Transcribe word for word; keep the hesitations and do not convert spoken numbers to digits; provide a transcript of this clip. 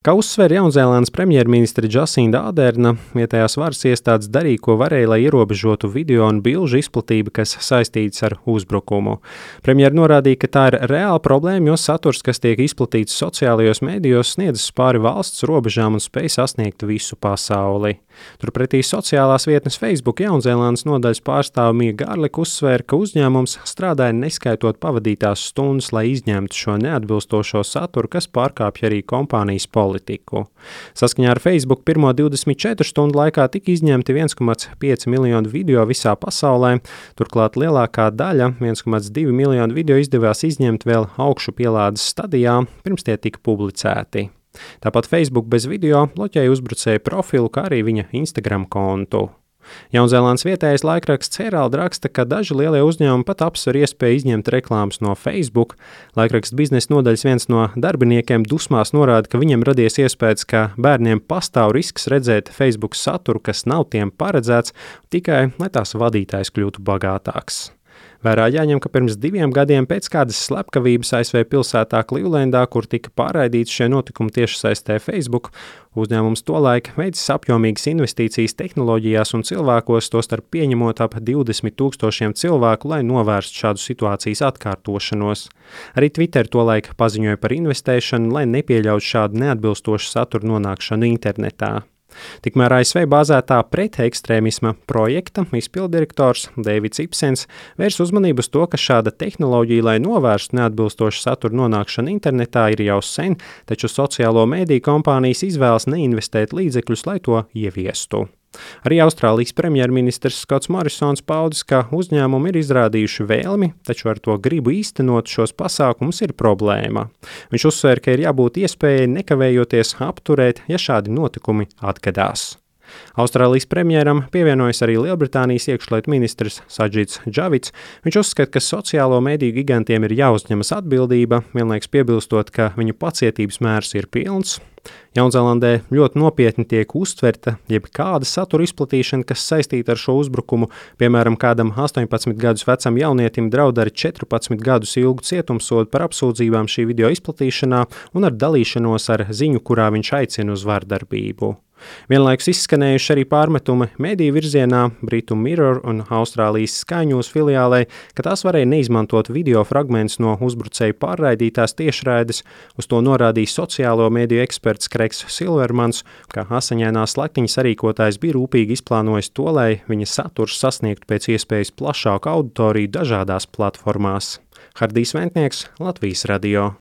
Kā uzsver Jaunzēlandes premjerministre Džasinda Aderna, vietējās varas iestādes darīja, ko varēja, lai ierobežotu video un bilžu izplatību, kas saistīts ar uzbrukumu. Premjera norādīja, ka tā ir reāla problēma, jo saturs, kas tiek izplatīts sociālajos mēdījos, sniedzas pāri valsts robežām un spēj sasniegt visu pasauli. Turpretī sociālās vietnes Facebook Jaunzēlandes nodaļas pārstāve Mija Garlika uzsvēra, ka uzņēmums strādāja neskaitot pavadītās stundas, lai izņemtu šo neatbilstošo saturu, kas pārkāpj arī kompānijas politiku. Saskaņā ar Facebook pirmo divdesmit četru stundu laikā tika izņemti viens komats pieci miljonu video visā pasaulē, turklāt lielākā daļa, viens komats divi miljonu video izdevās izņemt vēl augšu pielādes stadijā, pirms tie tika publicēti. Tāpat Facebook bez video bloķēja uzbrucēju profilu, kā arī viņa Instagram kontu. Jaunzēlandes vietējais laikraksts Herald raksta, ka daži lielie uzņēmumi pat apsver iespēju izņemt reklāmas no Facebook. Laikraksts biznesa nodaļas viens no darbiniekiem dusmās norāda, ka viņam radies iespējas, ka bērniem pastāv risks redzēt Facebook saturu, kas nav tiem paredzēts, tikai lai tās vadītājs kļūtu bagātāks. Vērā jāņem, ka pirms diviem gadiem pēc kādas slepkavības A S V pilsētā Klivlendā, kur tika pārraidīts šie notikumi tiešsaistē Facebook, uzņēmums tolaik veicis apjomīgas investīcijas tehnoloģijās un cilvēkos, tostarp pieņemot ap divdesmit tūkstošiem cilvēku, lai novērstu šādu situācijas atkārtošanos. Arī Twitter tolaik paziņoja par investēšanu, lai nepieļautu šādu neatbilstošu saturu nonākšanu internetā. Tikmēr A S V bāzētā pretekstrēmisma projekta izpilddirektors Deivids Ipsens vērs uzmanību uz to, ka šāda tehnoloģija, lai novērstu neatbilstošu saturu nonākšanu internetā, ir jau sen, taču sociālo mēdīju kompānijas izvēlas neinvestēt līdzekļus, lai to ieviestu. Arī Austrālijas premjerministrs Skots Morisons paudis, ka uzņēmumi ir izrādījuši vēlmi, taču ar to gribu īstenot šos pasākumus ir problēma. Viņš uzsver, ka ir jābūt iespējai nekavējoties apturēt, ja šādi notikumi atgadās. Austrālijas premjeram pievienojas arī Lielbritānijas iekšlietu ministrs Sadžits Džavids. Viņš uzskata, ka sociālo mediju gigantiem ir jāuzņemas atbildība, vienlaikus piebilstot, ka viņu pacietības mērs ir pilns. Jaunzēlandē ļoti nopietni tiek uztverta jebkāda satura izplatīšana, kas saistīta ar šo uzbrukumu. Piemēram, kādam astoņpadsmit gadus vecam jaunietim draud ar četrpadsmit gadus ilgu cietumsodu par apsūdzībām šī video izplatīšanā un ar dalīšanos ar ziņu, kurā viņš aicina uz vardarbību. Vienlaikus izskanējuši arī pārmetumi mediju virzienā Britu Mirror un Austrālijas Sky News filiālei, ka tās varēja neizmantot video fragmentus no uzbrucēju pārraidītās tiešraides. Uz to norādīja sociālo mediju eksperts Kreigs Silvermans, ka asaņainās slaktiņas sarīkotājs bija rūpīgi izplānojis to, lai viņa saturs sasniegtu pēc iespējas plašāku auditoriju dažādās platformās. Hardijs Ventnieks, Latvijas radio.